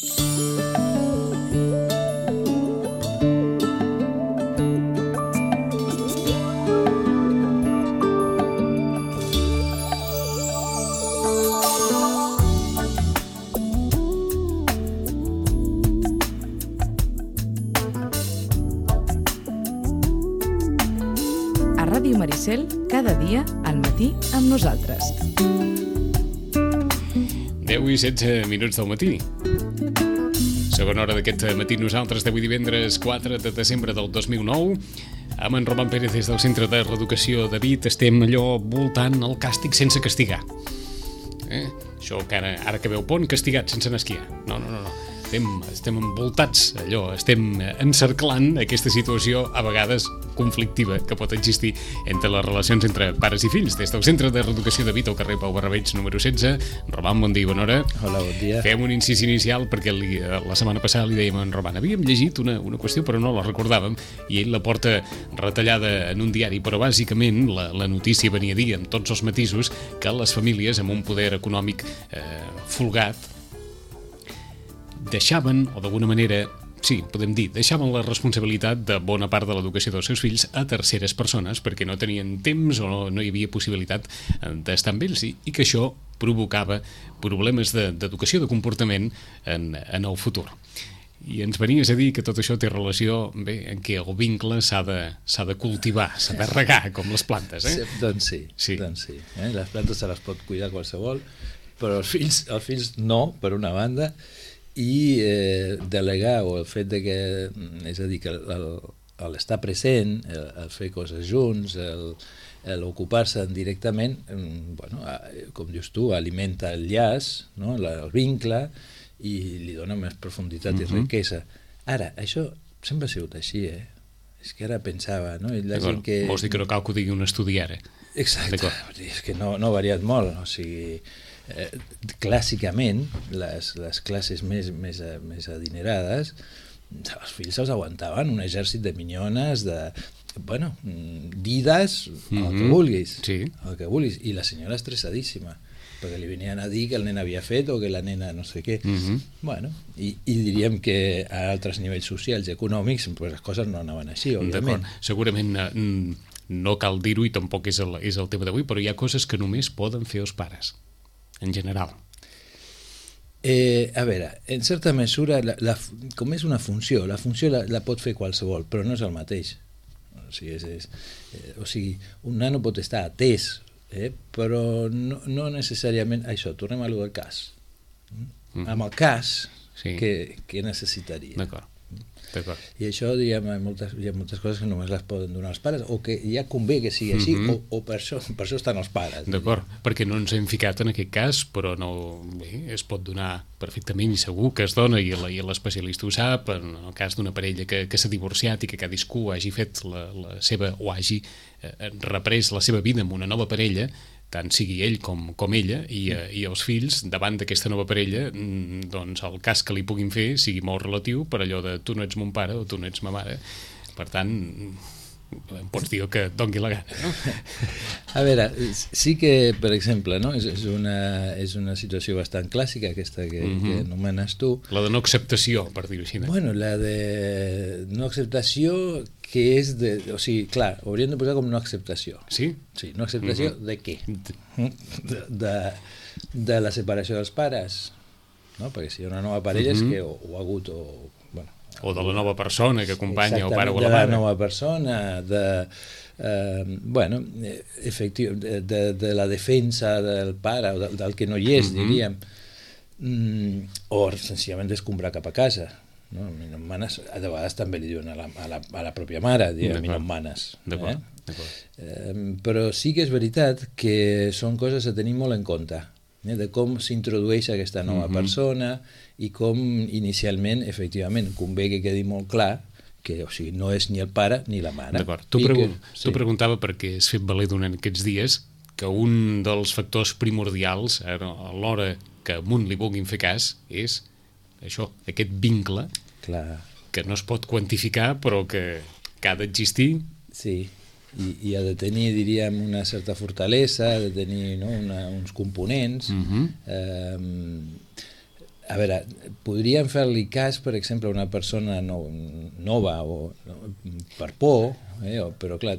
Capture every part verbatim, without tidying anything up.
Ràdio Maricel, cada dia al matí amb nosaltres. deu i setze minuts del matí. Segona hora d'aquest matí nosaltres d'avui divendres quatre de desembre del dos mil nou. Amb en Roman Pérez des del Centre de Reeducació de Vit estem allò voltant el càstig sense castigar. Eh? Això que ara, ara que veu pont, castigat sense anar a esquiar. No, no, no, no. Estem, estem envoltats, allò, estem encerclant aquesta situació a vegades conflictiva que pot existir entre les relacions entre pares i fills. Des del Centre de Reeducació de Vit al carrer Pau Barrabeig número setze. Roman, bon dia i bona hora. Hola, bon dia. Fem un incís inicial perquè li, la setmana passada li dèiem a en Roman, havíem llegit una, una qüestió però no la recordàvem i ell la porta retallada en un diari, però bàsicament la, la notícia venia a dir amb tots els matisos que les famílies amb un poder econòmic eh, folgat deixaven, o d'alguna manera, sí, podem dir, deixaven la responsabilitat de bona part de l'educació dels seus fills a terceres persones perquè no tenien temps o no, no hi havia possibilitat d'estar amb ells i, i que això provocava problemes de, d'educació, de comportament en, en el futur. I ens venies a dir que tot això té relació, bé, en què el vincle s'ha de, s'ha de cultivar, s'ha de regar, com les plantes, eh? Sí, doncs sí, sí. Doncs sí eh? Les plantes se les pot cuidar qualsevol, però els fills, els fills no, per una banda, i eh, delegar o el fet de que, és a dir, que l'estar present, el, el fer coses junts, l'ocupar-se directament, bueno, com dius tu, alimenta el llaç, no? el vincle, i li dona més profunditat uh-huh. i riquesa. Ara, això sempre ha sigut així, eh? És que ara pensava, no? I la gent que... Vols dir que no cal que ho digui un estudi ara? Exacte, és que no, no ha variat molt, o sigui... Eh, clàssicament les, les classes més, més, més adinerades els fills els aguantaven un exèrcit de minyones de, bueno, dides mm-hmm. el que vulguis sí. el que vulguis, i la senyora estressadíssima perquè li venien a dir que el nen havia fet o que la nena no sé què mm-hmm. bueno, i, i diríem que a altres nivells socials i econòmics pues, les coses no anaven així, òbviament. D'acord, segurament no cal dir-ho i tampoc és el, és el tema d'avui, però hi ha coses que només poden fer els pares en general. Eh, a veure, en certa mesura, la, la, com és una funció, la funció la, la pot fer qualsevol, però no és el mateix. O sigui, és, és, eh, o sigui un nano pot estar atès, eh, però no, no necessàriament... Això, tornem a lo del cas. Mm. Amb el cas, sí. què, què necessitaria? D'acord. D'acord. I això, diguem, hi ha, moltes, hi ha moltes coses que només les poden donar els pares, o que ja convé que sigui així, mm-hmm. o, o per, això, per això estan els pares. D'acord, perquè no ens hem ficat en aquest cas, però no, bé, es pot donar perfectament i segur que es dona, i l'especialista ho sap, en el cas d'una parella que, que s'ha divorciat i que cadascú hagi fet la, la seva, o hagi eh, reprès la seva vida amb una nova parella, tant sigui ell com, com ella, i, eh, i els fills, davant d'aquesta nova parella, doncs el cas que li puguin fer sigui molt relatiu per allò de tu no ets mon pare o tu no ets ma mare. Per tant, em pots dir que et doni la gana, no? A veure, sí que, per exemple, no? és, és, una, és una situació bastant clàssica, aquesta que, mm-hmm. que anomenes tu. La de no acceptació, per dir-ho així. No? Bueno, la de no acceptació... que és de... O sigui, clar, ho hauríem de posar com no acceptació. Sí? Sí, no acceptació mm-hmm. de què? De, de, de la separació dels pares, no? Perquè si hi ha una nova parella mm-hmm. és que o, o ha hagut o... Bueno, o de la nova persona que acompanya el pare o la mare. mare. De la nova persona, de... Eh, bueno, efectiu, de, de, de la defensa del pare o del, del que no hi és, mm-hmm. diríem. Mm, o senzillament d'escombrar cap a casa. No? Mi no em manes, de vegades també li diuen a la, a la, a la pròpia mare, diuen, mi no em manes. D'acord, eh? d'acord. Eh, però sí que és veritat que són coses a tenir molt en compte, eh? De com s'introdueix aquesta nova mm-hmm. persona i com inicialment, efectivament, convé que quedi molt clar que, o sigui, no és ni el pare ni la mare. D'acord. Tu, pregun que, sí. tu preguntava perquè has fet valer durant aquests dies que un dels factors primordials a l'hora que a un li vulguin fer cas és això, aquest vincle clar. Que no es pot quantificar però que, que ha d'existir. Sí, i, i ha de tenir, diríem, una certa fortalesa, ha de tenir, no, una, uns components. Mm-hmm. eh, a veure, podríem fer-li cas, per exemple, a una persona no, nova o no, per por, eh, o, però clar,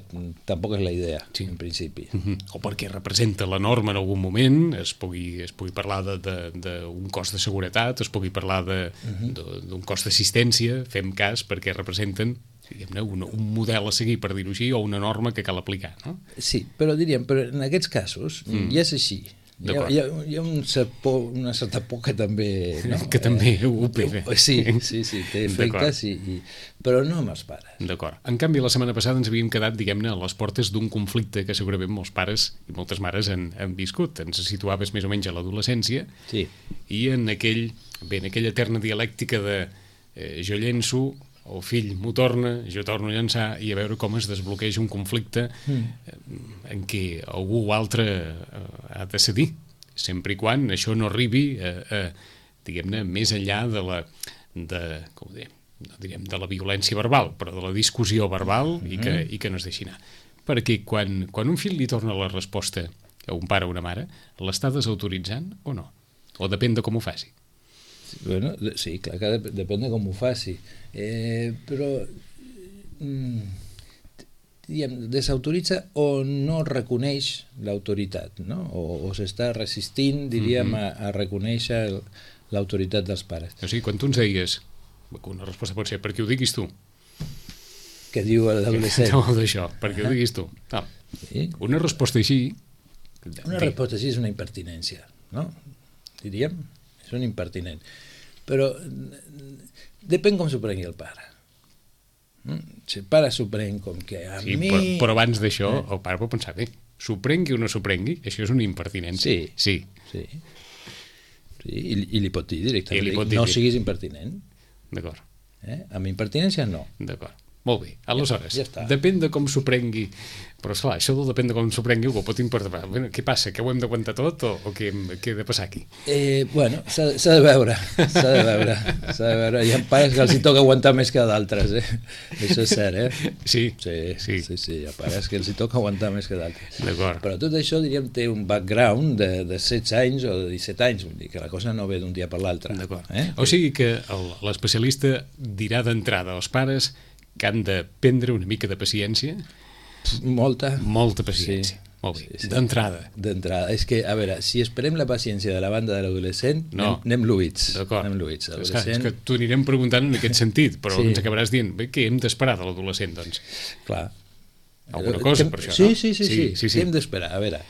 tampoc és la idea, sí. En principi. Uh-huh. O perquè representa la norma en algun moment, es pugui, es pugui parlar d'un cost de seguretat, es pugui parlar d'un uh-huh. cost d'assistència, fem cas perquè representen diguem-ne, un, un model a seguir, per dir-ho així, o una norma que cal aplicar, no? Sí, però diríem, però en aquests casos mm. ja és així. Hi ha, hi ha, hi ha un cert por, una certa por que també... No? Que també eh, ho pega. Sí, sí, sí, té efectes, i, i, però no amb els pares. D'acord. En canvi, la setmana passada ens havíem quedat, diguem-ne, a les portes d'un conflicte que segurament molts pares i moltes mares han, han viscut. Ens situaves més o menys a l'adolescència sí. I en, aquell, bé, en aquella eterna dialèctica de eh, jo llenço, el fill m'ho torna, jo torno a llançar, i a veure com es desbloqueja un conflicte mm. en què algú o altre ha de cedir, sempre i quan això no arribi a, a diguem-ne, més enllà de la de, com ho diem, no direm de la violència verbal, però de la discussió verbal mm-hmm. i, que, i que no es deixi anar. Perquè quan, quan un fill li torna la resposta a un pare o una mare, l'està desautoritzant o no? O depèn de com ho faci? Bueno, sí, clar que dep depèn de com ho faci, eh, però mm, diguem, desautoritza o no reconeix l'autoritat, no? o, o s'està resistint, diríem, mm-hmm. a, a reconèixer l'autoritat dels pares. O sigui, quan tu ens deies, una resposta pot ser perquè ho diguis tu. Què diu l'adolescent? No, d'això, perquè ho diguis tu. No. Sí? Una resposta així... Una bé. resposta així és una impertinència, no? Diríem, és un impertinent. Però depèn com s'ho prengui el pare. Si el pare s'ho pren com que a sí, mi... Però, però abans d'això, el pare pot pensar, bé, s'ho prengui o no s'ho prengui, això és una impertinència. Sí, sí. sí. sí i, I li pot dir directament, li pot dir, no siguis impertinent. D'acord. Eh? Amb impertinència no. D'acord. Molt bé, aleshores, ja, ja depèn de com s'ho prengui, però esclar, això del depèn de com s'ho prengui ho pot importar. Bueno, què passa, que ho hem d'aguantar tot o, o què, què ha de passar aquí? Eh, bueno, s'ha de veure, s'ha de veure, s'ha de veure. Hi ha pares que els hi toca aguantar més que d'altres, eh? Això és cert, eh? Sí, sí, sí, sí, sí. Hi ha pares que els hi toca aguantar més que d'altres. D'acord. Però tot això, diríem, té un background de, de setze anys o de disset anys, vull dir que la cosa no ve d'un dia per l'altre. D'acord. Eh? O sigui que l'especialista dirà d'entrada als pares que han de prendre una mica de paciència. Molta. Molta paciència. Sí, molt bé. Sí, sí. D'entrada. D'entrada. És que, a veure, si esperem la paciència de la banda de l'adolescent, no. anem, anem luïts. D'acord. Anem luïts. Adolescent... És que t'ho anirem preguntant en aquest sentit, però sí. ens acabaràs dient, bé, què hem d'esperar de l'adolescent, doncs? Clar. Alguna cosa, per això, sí, no? Sí, sí, sí. sí. sí, sí. Què hem d'esperar? A veure,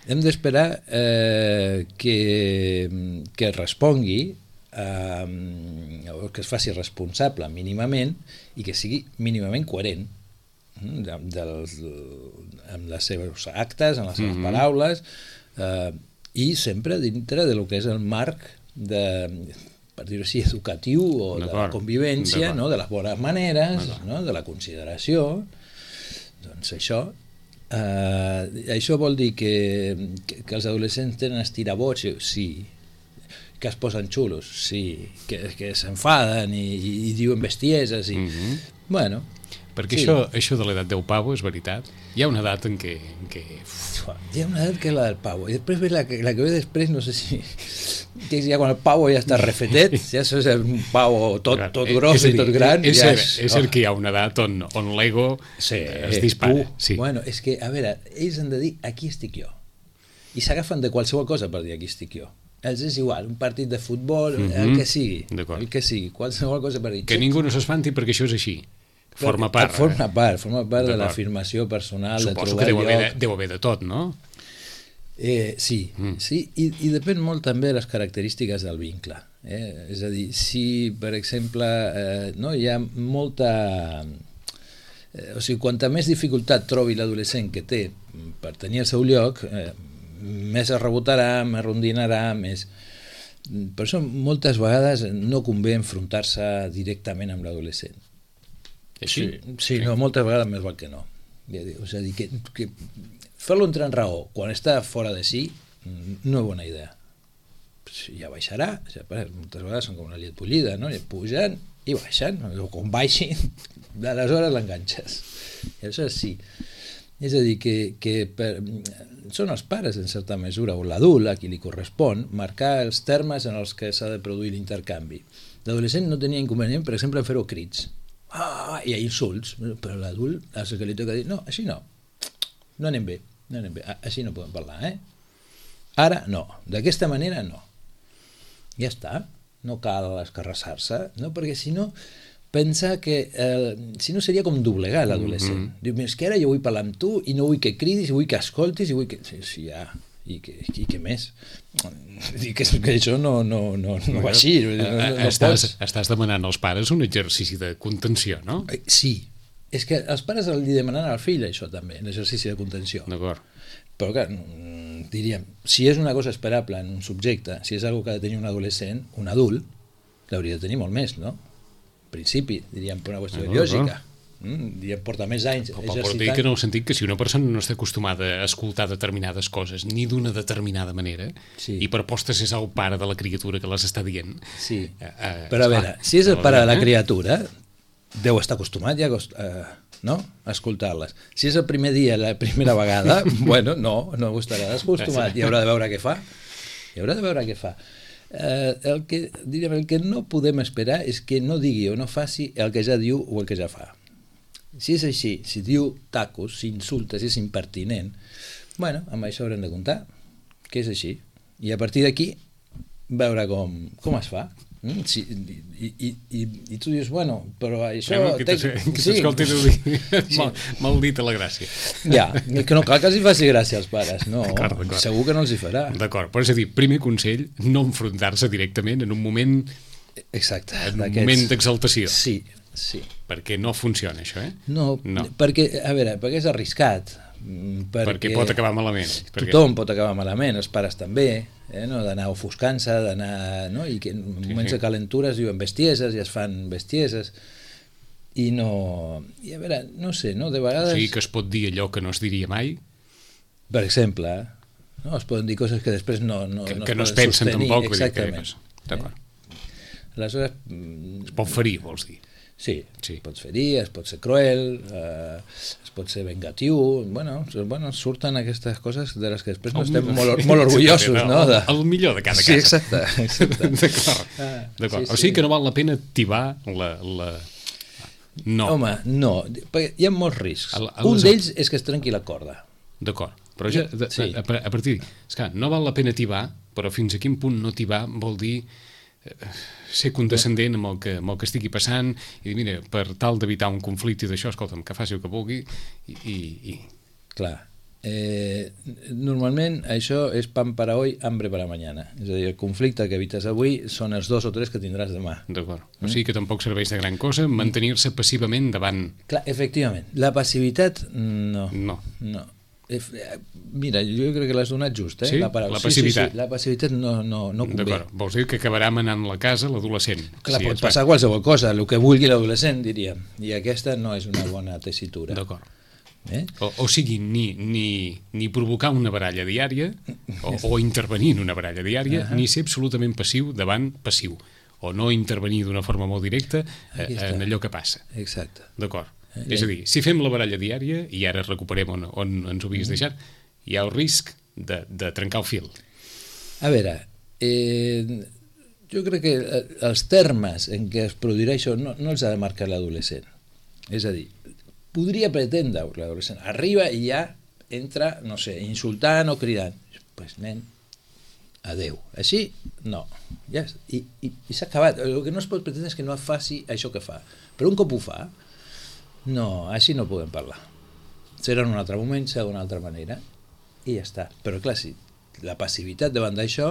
hem d'esperar eh, que, que respongui eh, que es faci responsable mínimament i que sigui mínimament coherent de, dels, amb les seves actes, amb les seves mm-hmm. paraules eh, i sempre dintre de lo que és el marc de, per dir-ho així, educatiu o de la convivència, no? De les bones maneres, no? De la consideració. Doncs això eh, això vol dir que, que, que els adolescents tenen estirabots, sí, que es posen xulos, sí, que, que s'enfaden i, i, i diuen bestieses i... Mm-hmm. Bueno, perquè sí. això, això de l'edat del pavo és veritat. Hi ha una edat en què... En què... Hi ha una edat que és la del pavo i després ve la, la que ve després, no sé si que és ja quan el pavo ja està refetet, ja és un pavo tot, tot gros i tot gran. És, ja és, és, és cert que hi ha una edat on, on l'ego sí, es dispara. Uh, sí. Bueno, és que, a veure, ells han de dir aquí estic jo i s'agafen de qualsevol cosa per dir aquí estic jo. Els és igual, un partit de futbol, mm-hmm. el que sigui, el que sigui, qualsevol cosa per dir. Que ningú no s'espanti perquè això és així. Forma part. Forma part, forma part de l'afirmació personal, suposo de trobar que deu haver, lloc. De, deu haver de tot, no? Eh, sí, mm. sí i, i depèn molt també de les característiques del vincle. Eh? És a dir, si, per exemple, eh, no, hi ha molta... Eh, o sigui, quanta més dificultat trobi l'adolescent que té per tenir el seu lloc, eh, més es rebotarà, més rondinarà, més... Per això moltes vegades no convé enfrontar-se directament amb l'adolescent. Així? Sí, sí, no, moltes vegades més val que no. És a dir, que, que fer-lo entrar en raó quan està fora de si no és bona idea. Ja baixarà, ja, moltes vegades són com una llet bullida, no? I pugen i baixen, o quan baixin, aleshores l'enganxes. I això sí. És a dir, que, que per, són els pares, en certa mesura, o l'adult, a qui li correspon, marcar els termes en els que s'ha de produir l'intercanvi. L'adolescent no tenia inconvenient, per exemple, en fer-ho crits. Ah, i insults. Però l'adult, el que li toca dir, no, així no. No anem bé, no anem bé. Així no podem parlar, eh? Ara no, d'aquesta manera no. Ja està, no cal escarrassar-se, no? Perquè si no, pensa que eh, si no seria com doblegar l'adolescent. Mm-hmm. Diu, és que ara jo vull parlar amb tu i no vull que cridis, i vull que escoltis, i vull que... Sí, sí ja, i que, i que més? I que, que això no, no, no, no va així. No, no, no estàs, estàs demanant als pares un exercici de contenció, no? Sí, és que els pares li demanen al fill això també, l'exercici de contenció. D'acord. Però clar, diríem, si és una cosa esperable en un subjecte, si és una que ha de tenir un adolescent, un adult, l'hauria de tenir molt més, no? En principi, diríem, per una qüestió no, lògica. No. Mm, diríem, porta més anys exercitant. Però dir que no, el sentit que si una persona no està acostumada a escoltar determinades coses, ni d'una determinada manera, sí. I per postes és el pare de la criatura que les està dient... Sí, eh, eh, però a veure, si és el pare de la criatura, deu estar acostumat ja a... no? A escoltar-les. Si és el primer dia, la primera vegada, bueno, no, no estarà acostumat, i haurà de veure què fa. I haurà de veure què fa. Eh, el, que, diríem, el que no podem esperar és que no digui o no faci el que ja diu o el que ja fa. Si és així, si diu tacos, si insulta, si és impertinent, bueno, amb això haurem de comptar, que és així. I a partir d'aquí, veure com, com es fa. Mm, sí, i, i, i, i tu dius, bueno, però això... Bueno, que t'escolti sí, dir, sí. mal, mal dit a la gràcia. Ja, que no cal que els hi faci gràcia als pares, no, segur que no els hi farà. D'acord, però és a dir, primer consell, no enfrontar-se directament en un moment... Exacte. En un moment d'exaltació. Sí, sí. Perquè no funciona això, eh? No, no, perquè, a veure, perquè és arriscat. Perquè, perquè pot acabar malament. Tothom pot acabar malament, els pares també, eh, no? D'anar ofuscant-se, d'anar... No? I que en moments sí, sí. de calentura es diuen bestieses i es fan bestieses i no... I a veure, no sé, no? De vegades... O sigui que es pot dir allò que no es diria mai? Per exemple, no? Es poden dir coses que després no, no, que, no que es no es pensen sostenir. tampoc. Exactament. D'acord. Eh? Aleshores... Es pot ferir, vols dir? Sí, sí, pots ferir, es pot ser cruel, eh, es pot ser vengatiu, bueno, bueno, surten aquestes coses de les que després no estem molt, molt orgullosos, no? El, el millor de cada casa. Sí, exacte. exacte. D'acord. Ah, D'acord. Sí, sí. O sigui que no val la pena tibar la... la... No. Home, no, perquè hi ha molts riscs. El, el, Un d'ells és que es trenqui la corda. D'acord, però ja, de, sí. a, a partir d'ahí, és clar, no val la pena tibar, però fins a quin punt no tibar vol dir... Eh, ser condescendent amb el, que, amb el que estigui passant i dir, mira, per tal d'evitar un conflicte d'això, escolta'm, que faci el que vulgui i... i, i... Clar, eh, normalment això és pan para hoy, hambre para mañana, és a dir, el conflicte que evites avui són els dos o tres que tindràs demà. D'acord, mm? O sigui que tampoc serveix de gran cosa mantenir-se passivament davant... Clar, efectivament, la passivitat no, no. no. Mira, jo crec que l'has donat just, eh? Sí? La, la passivitat. Sí, sí, sí. La passivitat no, no, no convé. D'acord, vols dir que acabarà manant la casa l'adolescent. Clar, sí, pot passar va. qualsevol cosa, el que vulgui l'adolescent, diríem. I aquesta no és una bona tessitura. D'acord. Eh? O, o sigui, ni, ni, ni provocar una baralla diària o, o intervenir en una baralla diària, uh -huh. ni ser absolutament passiu davant passiu, o no intervenir d'una forma molt directa eh, en allò que passa. Exacte. D'acord. Eh, és a dir, si fem la baralla diària, i ara recuperem on, on ens ho havies deixat, hi ha el risc de, de trencar el fil. A veure, eh, jo crec que els termes en què es produirà això no, no els ha de marcar l'adolescent. És a dir, podria pretendre l'adolescent, arriba i ja entra, no sé, insultant o cridant. Doncs, pues, nen, adeu. Així, no. Ja, I i, i s'ha acabat. El que no es pot pretendre és que no faci això que fa. Però un cop ho fa, no, així no podem parlar. Serà en un altre moment, serà d'una altra manera, i ja està. Però clar, si la passivitat davant d'això,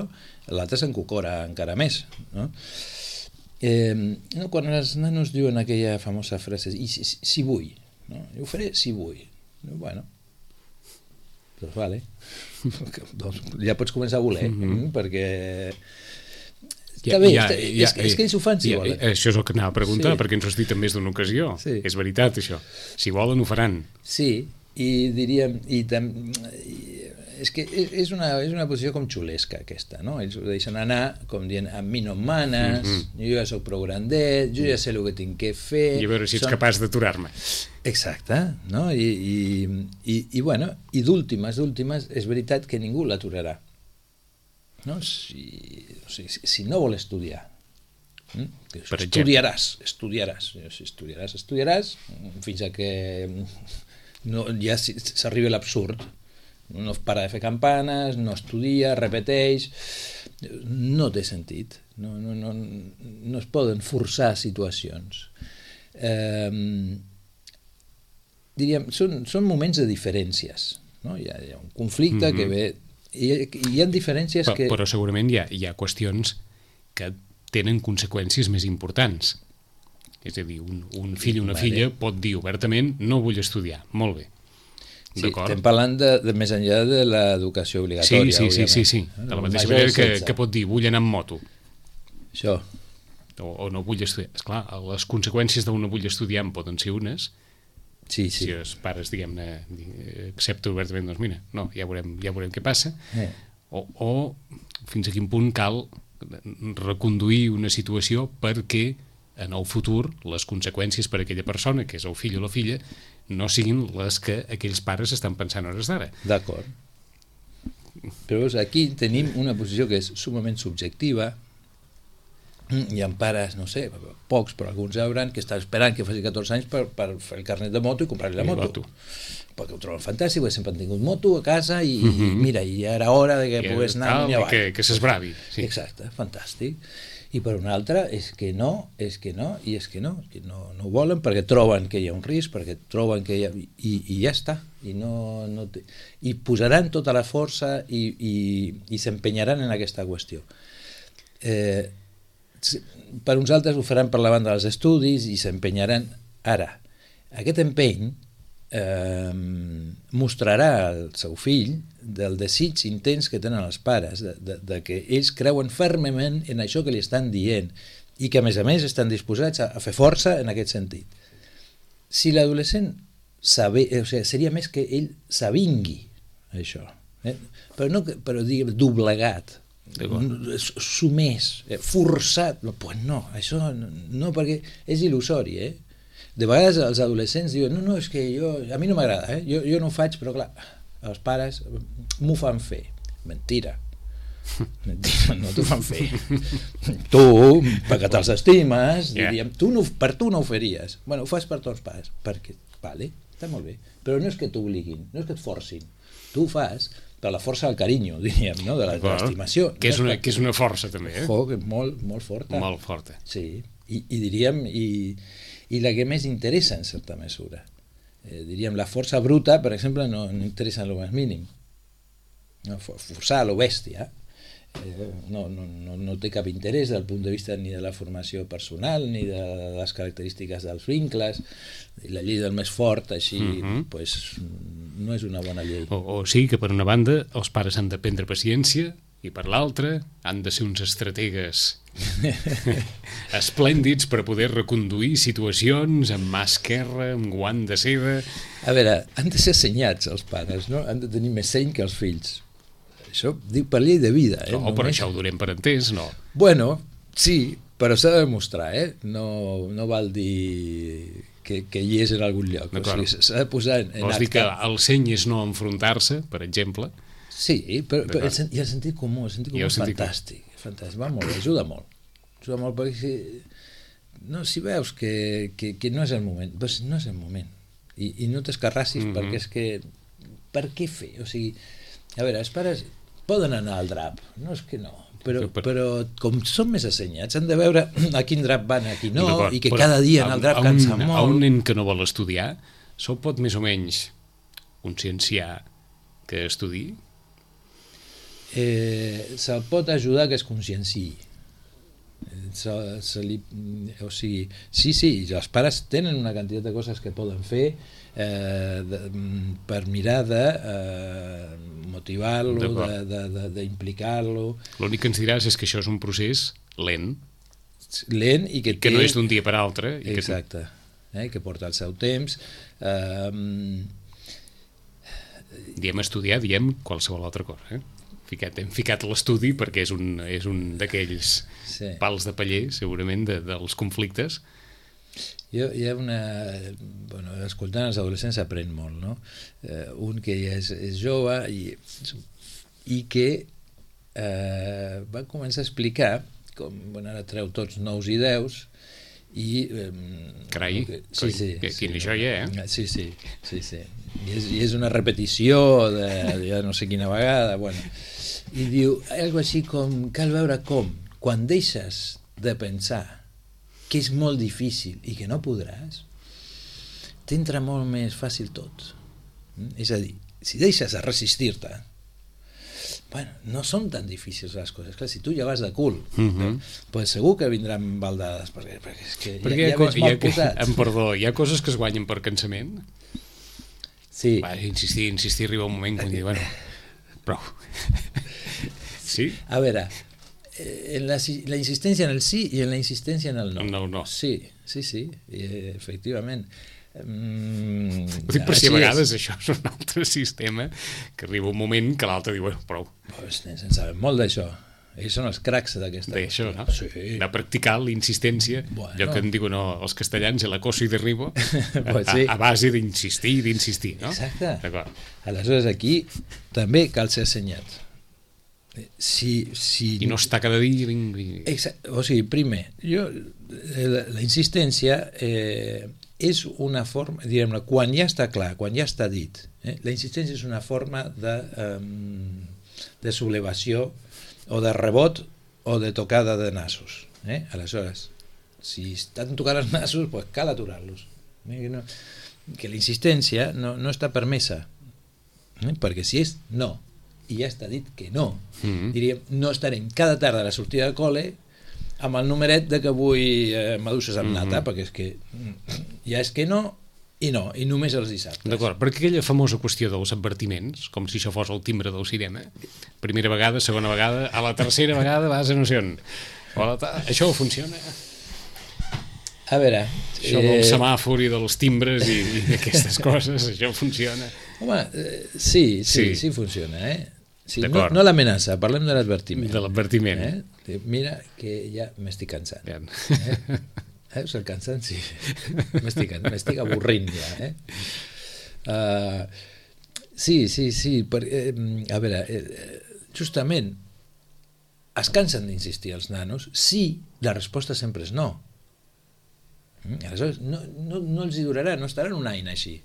l'altre s'encocora encara més, no? Eh, no, quan els nanos diuen aquella famosa frase, i si, si, si vull, no? Jo ho faré si vull. Bueno, doncs vale. doncs ja pots començar a voler, mm-hmm. perquè... Està bé, ja, està, ja, és, és que ells ho fan si ja, volen. Això és el que anava a preguntar, sí. perquè ens ho has dit en més d'una ocasió. Sí. És veritat, això. Si volen, ho faran. Sí, i diríem... I tam, i, és que és una, és una posició com xulesca aquesta, no? Ells ho deixen anar com dient, a mi no em manes, mm-hmm. jo ja soc prou grandet, jo ja sé el que tinc que fer... I a veure si ets Són... capaç d'aturar-me. Exacte, no? I, i, i, i bueno, i d'últimes, d'últimes, és veritat que ningú l'aturarà. No? Si, o sigui, si, si no vol estudiar, hm? estudiaràs, estudiaràs, si estudiaràs, estudiaràs, fins a que no, ja s'arriba a l'absurd. No para de fer campanes, no estudia, repeteix, no té sentit, no, no, no, no es poden forçar situacions. Eh, diríem, són, són moments de diferències, no? Hi ha, hi ha un conflicte mm-hmm. que ve, i hi ha diferències però, que... Però segurament hi ha, hi ha qüestions que tenen conseqüències més importants. És a dir, un, un fill o una vale. filla pot dir obertament no vull estudiar, molt bé. Sí, estem parlant de, de més enllà de l'educació obligatòria. Sí, sí, sí, sí, sí. De la mateixa manera que, que pot dir vull anar amb moto. Això. O, o no vull estudiar. Esclar, les conseqüències d'un no vull estudiar en poden ser unes. Sí, sí. Si els pares, diguem-ne, accepten obertament, doncs mira, no, ja veurem, ja veurem què passa. Eh. O, o fins a quin punt cal reconduir una situació perquè en el futur les conseqüències per a aquella persona, que és el fill o la filla, no siguin les que aquells pares estan pensant a hores d'ara. D'acord. Però veus, aquí tenim una posició que és sumament subjectiva. Hi ha pares, no sé, pocs, però alguns hauran que estan esperant que faci catorze anys per, per fer el carnet de moto i comprar-li la moto. moto. Perquè ho troben fantàstic, perquè sempre han tingut moto a casa i, uh-huh. i mira, ja era hora de que I pogués anar cal, avall. Que, que s'esbravi. Sí. Exacte, fantàstic. I per una altra és que no, és que no, i és que no, que no, no ho volen perquè troben que hi ha un risc, perquè troben que hi ha... I, i ja està. I, no, no té... I posaran tota la força i, i, i s'empenyaran en aquesta qüestió. Eh, per uns altres ho faran per la banda dels estudis i s'empenyaran. Ara, aquest empeny eh, mostrarà al seu fill del desig intens que tenen els pares, de, de, de que ells creuen fermament en això que li estan dient i que a més a més estan disposats a, a fer força en aquest sentit. Si l'adolescent sabe, o sigui, seria més que ell s'avingui això, eh? però no però diguem doblegat, sumès, forçat, no, pues no, això no, no perquè és il·lusori, eh? De vegades els adolescents diuen no, no, és que jo, a mi no m'agrada, eh? jo, jo no ho faig, però clar, els pares m'ho fan fer. Mentira. Mentira, no t'ho fan fer. Tu, perquè te'ls estimes, yeah. diríem, tu no, per tu no ho faries. Bueno, ho fas per tots pares. Perquè, vale, està molt bé. Però no és que t'obliguin, no és que et forcin. Tu ho fas per la força del carinyo, diríem, no? de l'estimació. Que, no una, que és una força, també. Eh? Oh, molt, molt forta. Molt forta. Sí, i, i diríem, i, i la que més interessa en certa mesura. Eh, diríem, la força bruta, per exemple, no, no interessa en lo més mínim. No, forçar a lo bèstia eh, no, no, no, no té cap interès del punt de vista ni de la formació personal ni de les característiques dels vincles. La llei del més fort així uh-huh. pues, no és una bona llei. O, o sigui que per una banda els pares han de prendre paciència i per l'altra han de ser uns estrategues esplèndids per poder reconduir situacions amb mà esquerra, amb guant de seda. A veure, han de ser assenyats els pares, no? Han de tenir més seny que els fills. Això dic per llei de vida. Eh? No, Només... però això ho donem per entès, no? Bueno, sí, però s'ha de demostrar, eh? No, no val dir que, que hi és en algun lloc. O sigui, s'ha de posar en, en Vols acte. dir que el seny és no enfrontar-se, per exemple? Sí, però, però el, hi ha el sentit comú, el sentit comú és fantàstic, fantàstic, va molt, ajuda molt, ajuda molt perquè si, no, si veus que, que, que no és el moment, doncs no és el moment, i, i no t'escarrassis mm-hmm. perquè és que, per què fer? O sigui, a veure, els pares poden anar al drap, no és que no, però, però com són més assenyats, han de veure a quin drap van, a qui no, i que cada dia anar al drap cansa molt. A un nen que no vol estudiar, se'l pot més o menys conscienciar que estudiï? Eh, se'l pot ajudar que es conscienciï. Se, se li, o sigui, sí, sí, els pares tenen una quantitat de coses que poden fer eh, de, per mirar de eh, motivar-lo, d'implicar-lo. L'únic que ens diràs és que això és un procés lent. Lent i que, I que té... no és d'un dia per altre. I Exacte. Que... Eh, que porta el seu temps. Eh, Diem estudiar, diem qualsevol altra cosa, eh? Ficat, hem ficat l'estudi perquè és un, és un d'aquells sí. pals de paller, segurament, de, dels conflictes. Jo, hi ha una... Bueno, escoltant els adolescents s'aprèn molt, no? Eh, un que ja és, és jove i, i que eh, va començar a explicar com, bueno, ara treu tots nous i deus i... Eh, Carai, que, sí, sí, que, sí, quina joia, eh? Sí, sí, sí, sí. I és, i és una repetició de, de no sé quina vegada, bueno... I diu, algo així com, cal veure com, quan deixes de pensar que és molt difícil i que no podràs, t'entra molt més fàcil tot. Mm? És a dir, si deixes de resistir-te, bueno, no són tan difícils les coses. Clar, si tu ja vas de cul, uh-huh. pues segur que vindran baldades, perquè, perquè és que perquè ja, ja veig mal posat. Em perdó, hi ha coses que es guanyen per cansament? Sí. Va, insistir, insistir, arriba un moment quan diu, bueno, prou. Sí? A veure, en la, la insistència en el sí i en la insistència en el no. No, no. Sí, sí, sí, i, efectivament. Mm, Ho dic per si a vegades és. Això és un altre sistema que arriba un moment que l'altre diu, bueno, prou. Pues, se'n saben molt d'això. Ells són els cracs d'aquesta. D'això, no? Sí. De practicar la insistència, bueno. Allò que en diuen no, els castellans, el acoso i derribo, pues sí. a, a base d'insistir i d'insistir, no? Exacte. D'acord. Aleshores aquí també cal ser assenyat. Si, si... I no està cada dia... Exacte. O sigui, primer, jo, la, la insistència eh, és una forma, diguem-ne, quan ja està clar, quan ja està dit, eh, la insistència és una forma de, um, de sublevació o de rebot o de tocada de nassos. Eh? Aleshores, si estan tocant els nassos, pues cal aturar-los. Eh? Que, no, que la insistència no, no està permesa, eh? Perquè si és no, i ja està dit que no, mm-hmm. diríem, no estarem cada tarda a la sortida de col·le amb el numeret de que vull eh, maduixes amb nata, mm-hmm. perquè és que ja és que no i no, i només els dissabtes. D'acord, perquè aquella famosa qüestió dels advertiments, com si això fos el timbre del cinema, primera vegada, segona vegada, a la tercera vegada vas a no sé on. Això funciona? A veure... Això del semàfor i dels timbres i, i aquestes coses, això funciona? Home, eh, sí, sí, sí, sí funciona, eh? Sí, no, no l'amenaça, parlem de l'advertiment. De l'advertiment. Eh? Mira que ja m'estic cansant. Bien. Eh? Eh? El cansant, sí. M'estic avorrint ja. Eh? Uh, sí, sí, sí. Per, eh, a veure, eh, justament es cansen d'insistir els nanos si la resposta sempre és no. Aleshores, no, no, no els hi durarà, no estaran un any així.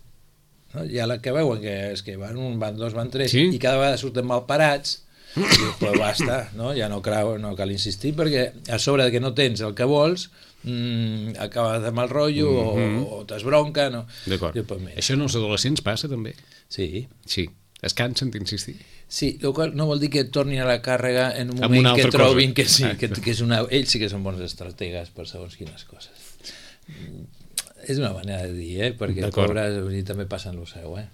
No? Ja la que veuen que és que van un, van dos, van tres, sí? I cada vegada surten mal parats, i dius, però basta, no? Ja no, creu, no cal insistir, perquè a sobre que no tens el que vols, mmm, acabes de mal rotllo, mm-hmm. o, o t'esbronca, no? D'acord. Això en els adolescents passa també? Sí. Sí. Es cansen d'insistir? Sí, el qual no vol dir que tornin a la càrrega en un moment que trobin cosa. que sí, ah. que, que és una... Ells sí que són bons estrategues per segons quines coses. És una manera de dir, eh? Perquè pobres també passen el seu, eh?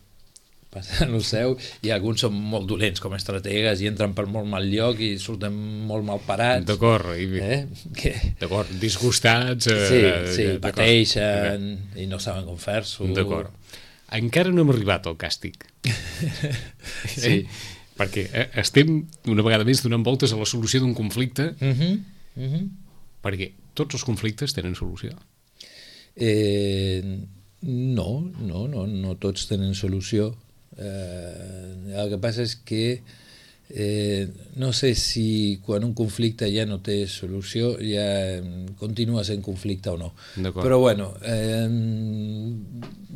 Passen el seu, i alguns són molt dolents com a estrategues i entren per molt mal lloc i surten molt mal parats. D'acord, i... eh? que... d'acord, disgustats. Eh, sí, sí, pateixen i no saben com fer-s'ho. D'acord. Encara no hem arribat al càstig. Sí. Eh? Perquè eh, estem una vegada més donant voltes a la solució d'un conflicte, uh-huh. Uh-huh. perquè tots els conflictes tenen solució. Eh, no, no, no, no tots tenen solució. Eh, el que passa és que eh, no sé si quan un conflicte ja no té solució ja continua sent conflicte o no. Però bueno, eh,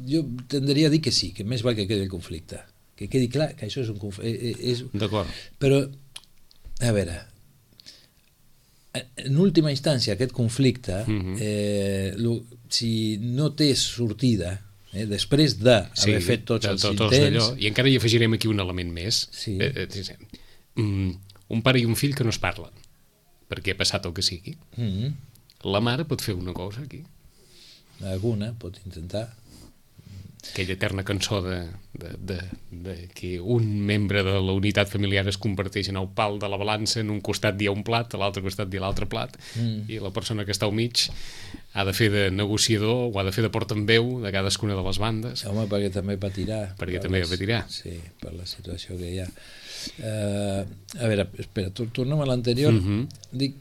jo tendria a dir que sí, que més val que quedi el conflicte, que quedi clar que això és un conflicte. És... D'acord. Però, a veure, en última instància aquest conflicte, uh-huh. eh, lo, si no té sortida, eh, després d'haver sí, fet tots els tot, intents... I encara hi afegirem aquí un element més. Sí. Eh, eh, um, un pare i un fill que no es parlen, perquè ha passat el que sigui. Uh-huh. La mare pot fer una cosa aquí. Alguna pot intentar. Aquella eterna cançó de, de, de, de que un membre de la unitat familiar es converteix en el pal de la balança, en un costat hi ha un plat, a l'altre costat hi ha l'altre plat, mm. i la persona que està al mig ha de fer de negociador o ha de fer de portaveu de cadascuna de les bandes. Home, perquè també patirà. Perquè també les, patirà. Sí, per la situació que hi ha. Uh, a veure, espera, tornem a l'anterior. Uh-huh. Dic,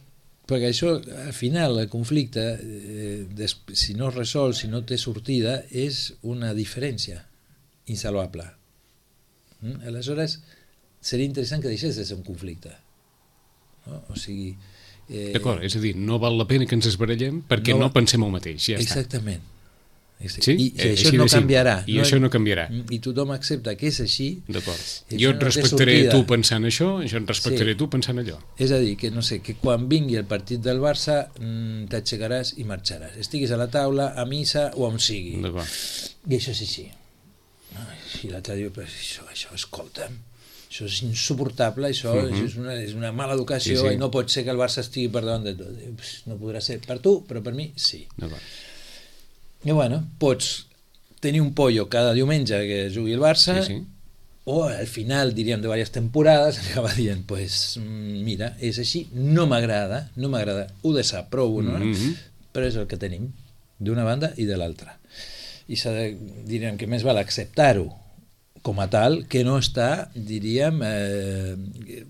perquè això, al final, el conflicte, eh, des, si no es resol, si no té sortida, és una diferència insalvable. Mm? Aleshores, seria interessant que deixés de ser un conflicte. No? O sigui... Eh, D'acord, és a dir, no val la pena que ens esbarallem perquè no, va... no pensem el mateix, ja exactament. està. Sí? I, i això no canviarà. I no, això no canviarà. I tothom accepta que és així. D'acord. Jo et no respectaré tu pensant això, jo et respectaré sí. tu pensant allò. És a dir, que no sé, que quan vingui el partit del Barça mmm, t'aixecaràs i marxaràs. Estiguis a la taula, a missa o on sigui. D'acord. I això és així. I l'altre diu, però això, això, escolta'm, això és insuportable, això, uh-huh. això és, una, és una mala educació, sí, sí. I no pot ser que el Barça estigui per davant de tot. No podrà ser per tu, però per mi sí. I bueno, pots tenir un pollo cada diumenge que jugui el Barça, sí, sí. O al final, diríem, de diverses temporades, acaba dient, pues, mira, és així, no m'agrada, no m'agrada, ho desaprovo, no? Uh-huh. Però és el que tenim, d'una banda i de l'altra. I s'ha de, diríem, que més val acceptar-ho com a tal, que no està, diríem, eh,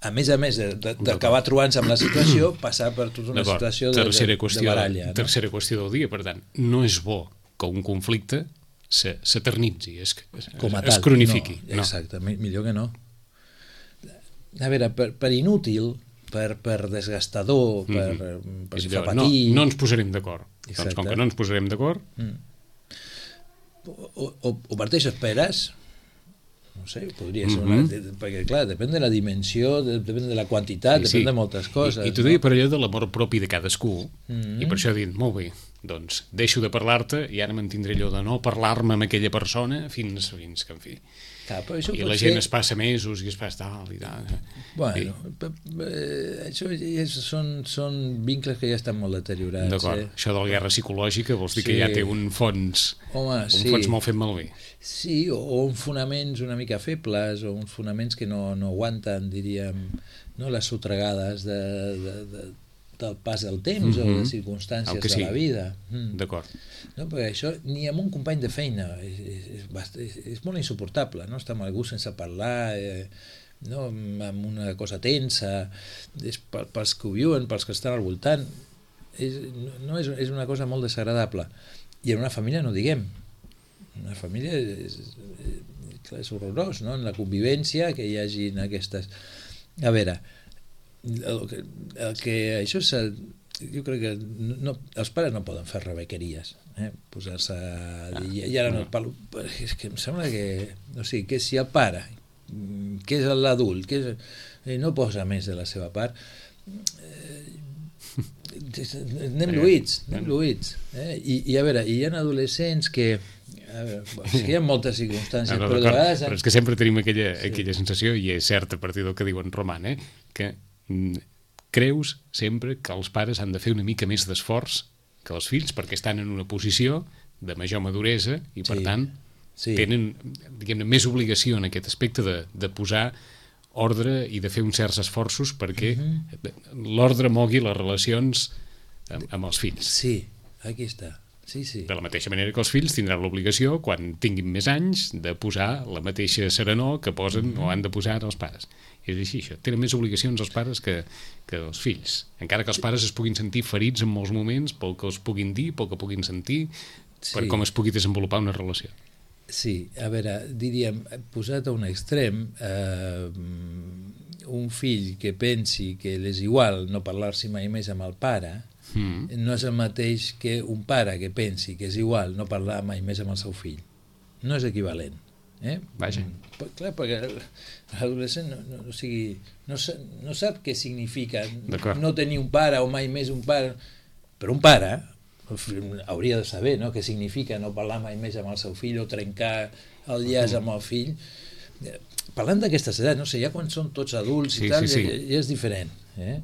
a més a més d'acabar trobant-se amb la situació, passar per tota una situació de, de, de baralla. No? Tercera qüestió del dia, per tant, no és bo que un conflicte s'eternitzi, es, es, es cronifiqui. No, exacte, no. Millor que no. A veure, per, per inútil, per, per desgastador, per, mm-hmm. per fer patir... No, no ens posarem d'acord. Doncs com que no ens posarem d'acord... Mm. O, o, o per això esperes... No sé, podria ser una... Mm-hmm. Perquè, clar, depèn de la dimensió, depèn de la quantitat, sí, depèn sí. de moltes coses. I, i t'ho deia no? per allò de l'amor propi de cadascú, mm-hmm. i per això he dit, molt bé, doncs deixo de parlar-te i ara mantindré allò de no parlar-me amb aquella persona fins, fins que, en fi... Clar, això I la gent ser... es passa mesos i es passa tal i tal. Bueno, I... això és, són, són vincles que ja estan molt deteriorats. D'acord, eh? Això de la guerra psicològica vols dir sí. que ja té un fons, Home, un sí. fons molt fet malbé. Sí, o, o uns fonaments una mica febles, o uns fonaments que no, no aguanten, diríem, no, les sotregades de, de, de, del pas del temps mm-hmm. o de circumstàncies de la vida. Mm. D'acord. No, perquè això ni amb un company de feina és, és, és, és molt insuportable, no? Estar amb algú sense parlar, eh, no? Amb una cosa tensa, és pels que ho viuen, pels que estan al voltant, és, no, és, és una cosa molt desagradable. I en una família no diguem, una família és, és, clar, és horrorós, no? En la convivència que hi hagi aquestes... A veure, el que, el que això és... Jo crec que no, els pares no poden fer rebequeries, eh? Posar-se a dir, i ara no et parlo, és que em sembla que, o sigui, que si el pare, que és l'adult, que és, no posa més de la seva part, eh, anem lluïts, anem lluïts, eh? I, i a veure, hi ha adolescents que, a veure, és que hi ha moltes circumstàncies, no, no, però de vegades... Però és que sempre tenim aquella, sí. aquella sensació, i és cert a partir del que diu en Roman, eh? que creus sempre que els pares han de fer una mica més d'esforç que els fills perquè estan en una posició de major maduresa i per sí, tant sí. tenen, diguem-ne, més obligació en aquest aspecte de, de posar ordre i de fer uns certs esforços perquè uh-huh. l'ordre mogui les relacions amb, amb els fills. Sí, aquí està. Sí, sí. De la mateixa manera que els fills tindran l'obligació, quan tinguin més anys, de posar la mateixa serenor que posen uh-huh. o han de posar els pares. És així, això. Tenen més obligacions els pares que, que els fills. Encara que els pares es puguin sentir ferits en molts moments pel que els puguin dir, pel que puguin sentir, sí. per com es pugui desenvolupar una relació. Sí, a veure, diríem, posat a un extrem, eh, un fill que pensi que és igual no parlar-s'hi mai més amb el pare, mm. no és el mateix que un pare que pensi que és igual no parlar mai més amb el seu fill. No és equivalent. Eh? Vaja. Clar, perquè l'adolescent no, no, o sigui, no, no sap què significa no tenir un pare o mai més un pare, però un pare hauria de saber, no?, què significa no parlar mai més amb el seu fill o trencar el llaç amb el fill. Parlant d'aquestes edats, no sé, ja quan són tots adults i sí, tal, sí, sí. Ja, ja és diferent, eh?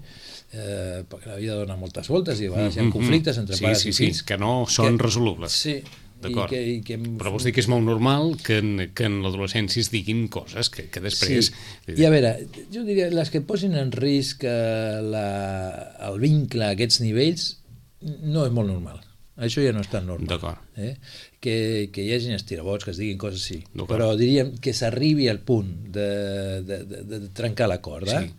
Eh, perquè la vida dona moltes voltes i a vegades hi ha conflictes entre sí, pares sí, i fills sí, que no són que, resolubles. Sí. D'acord, que, i que... però vols dir que és molt normal que en, que en l'adolescència es diguin coses que, que després... Sí. I a veure, jo diria, les que posin en risc la, el vincle a aquests nivells, no és molt normal. Això ja no és tan normal. D'acord. Eh? Que, que hi hagi estirabots, que es diguin coses així. D'acord. Però diríem que s'arribi al punt de, de, de, de trencar la corda, Sí.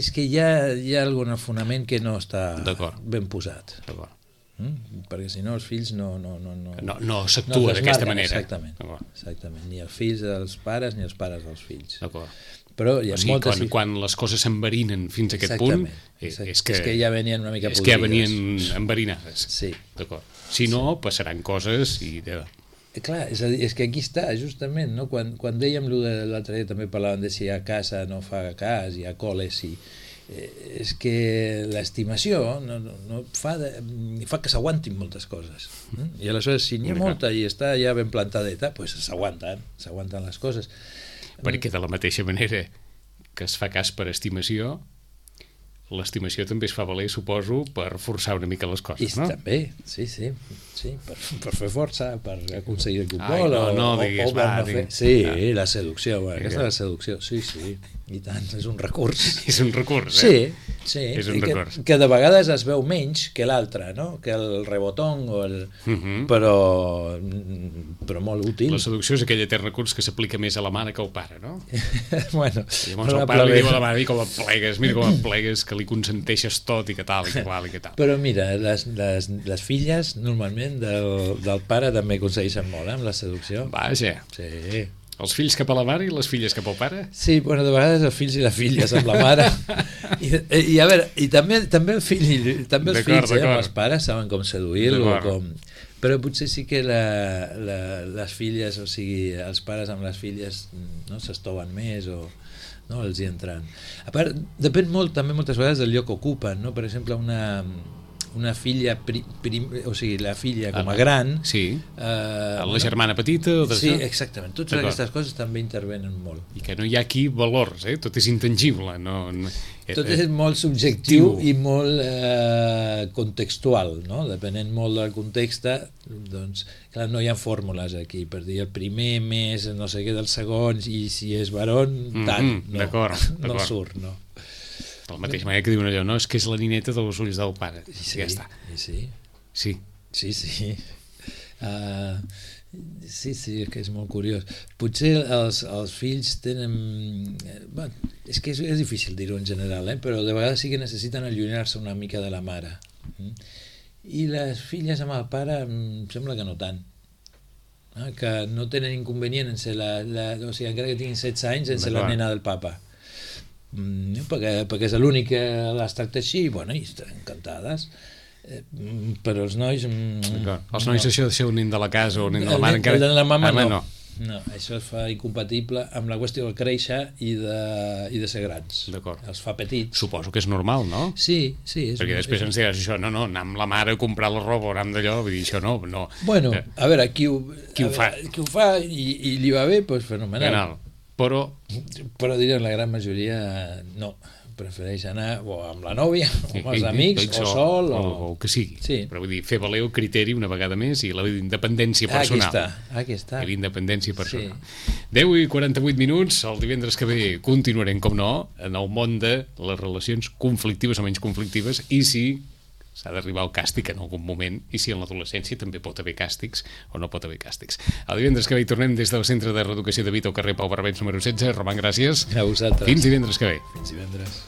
és que hi ha, hi ha algun fonament que no està D'acord. ben posat. D'acord. Mm? Perquè si no els fills no... No, no, no, No, no s'actua no d'aquesta desmarquen, manera. Exactament, D'acord. exactament. Ni els fills dels pares ni els pares dels fills. D'acord. Però hi ha O sigui, moltes... quan, quan les coses s'enverinen fins a aquest punt, eh, Exactament. és que, és que ja venien una mica és que ja podrides. venien enverinades. Sí. D'acord. Si no, passaran coses i... De... Eh, Clar, és, a dir, és que aquí està, justament, no? Quan, quan dèiem lo de l'altre dia, també parlàvem de si a casa no fa cas, hi ha col·les, si... Eh, és que l'estimació no, no, no fa, de, fa que s'aguantin moltes coses. Mm? I aleshores, si n'hi ha molta i està ja ben plantadeta, doncs s'aguanten, s'aguanten les coses. Perquè de la mateixa manera que es fa cas per estimació, l'estimació també es fa valer, suposo, per forçar una mica les I coses, no? també, sí, sí, sí per, per fer força, per aconseguir que un Ai, vol, no, o, no, o, digues, o per va, no fer... digues. Sí, Ah. la seducció, bueno, aquesta Vinga. és la seducció, sí, sí, i tant, és un recurs. És un recurs, Sí, eh? sí, És un i que, recurs. que de vegades es veu menys que l'altre, no? Que el rebotón o el... Mhm. però, però molt útil. La seducció és aquell etern recurs que s'aplica més a la mare que al pare, no? bueno, I llavors el pare li diu a la mare, com et plegues, mira com et plegues, que li consenteixes tot i que tal, i que tal, i que tal. Però mira, les, les, les filles normalment del, del pare també aconsegueixen molt, eh, amb la seducció. Vaja, Sí. els fills cap a la mare i les filles cap al pare? Sí, bueno, de vegades els fills i les filles amb la mare. I, i a veure, i també, també, el fill, i- també els D'acord, fills eh, amb d'acord. els pares saben com seduir-lo. D'acord. Com... Però potser sí que la, la, les filles, o sigui, els pares amb les filles no s'estoven més o no els hi entren. A part, depèn molt, també moltes vegades del lloc que ocupen, no? Per exemple, una, una filla, pri, prim, o sigui, la filla com a gran... Sí. Eh, La germana petita o de Sí, això? exactament. Totes D'acord. aquestes coses també intervenen molt. I que no hi ha aquí valors, eh? Tot és intangible. No, no, Tot eh, és molt subjectiu Subjectiu. i molt eh, contextual, no? Depenent molt del context, doncs, clar, no hi ha fórmules aquí per dir el primer més no sé què del segon i si és varon, tant. Mhm, No, d'acord, no d'acord. surt, no. De la mateixa manera que diuen allò, no? És que és la nineta dels ulls del pare. I sí, Ja està. i sí, Sí. sí, sí. Uh, sí, sí, que és molt curiós. Potser els, els fills tenen... eh, Bueno, és que és, és difícil dir-ho en general, eh? Però de vegades sí que necessiten allunyar-se una mica de la mare. Mm? I les filles amb el pare em sembla que no tant. Eh? Que no tenen inconvenient en ser la, la... O sigui, encara que tinguin setze anys, en ser la D'acord. nena del papa. Mm, perquè, perquè és l'únic que les tracta així, i bueno, i estan encantades. Eh, mm, però els nois... mm, D'acord. Els nois, no. això de ser un nen de la casa o un nen de El la mare nen- encara... el de la mama Home, no. No, això es fa incompatible amb la qüestió de créixer i de, i de ser grans. D'acord. Els fa petits. Suposo que és normal, no? Sí, sí. És Perquè després ens diràs això, no, no, anar amb la mare a comprar la roba o anar amb d'allò, vull dir, això no, no. Bueno, Eh, a veure, qui ho, Qui ho a fa? veure, qui ho fa i, i li va bé, doncs fenomenal. Penal. Però, Però diré, la gran majoria no. Prefereix anar o amb la nòvia, o amb els i- i- amics, i- o sol, o... o, o el que sigui. Sí. Però vull dir, fer valer el criteri una vegada més i la independència Ah, aquí personal. està, aquí està. I l'independència personal. deu i quaranta-vuit minuts, el divendres que ve continuarem, com no, en el món de les relacions conflictives o menys conflictives, i si s'ha d'arribar al càstig en algun moment, i si en l'adolescència també pot haver càstigs o no pot haver càstigs. El divendres que ve hi tornem des del Centre de Reeducació de Vita al carrer Pau Barbens número setze. Roman, gràcies. A vosaltres. Fins divendres que ve. Fins divendres.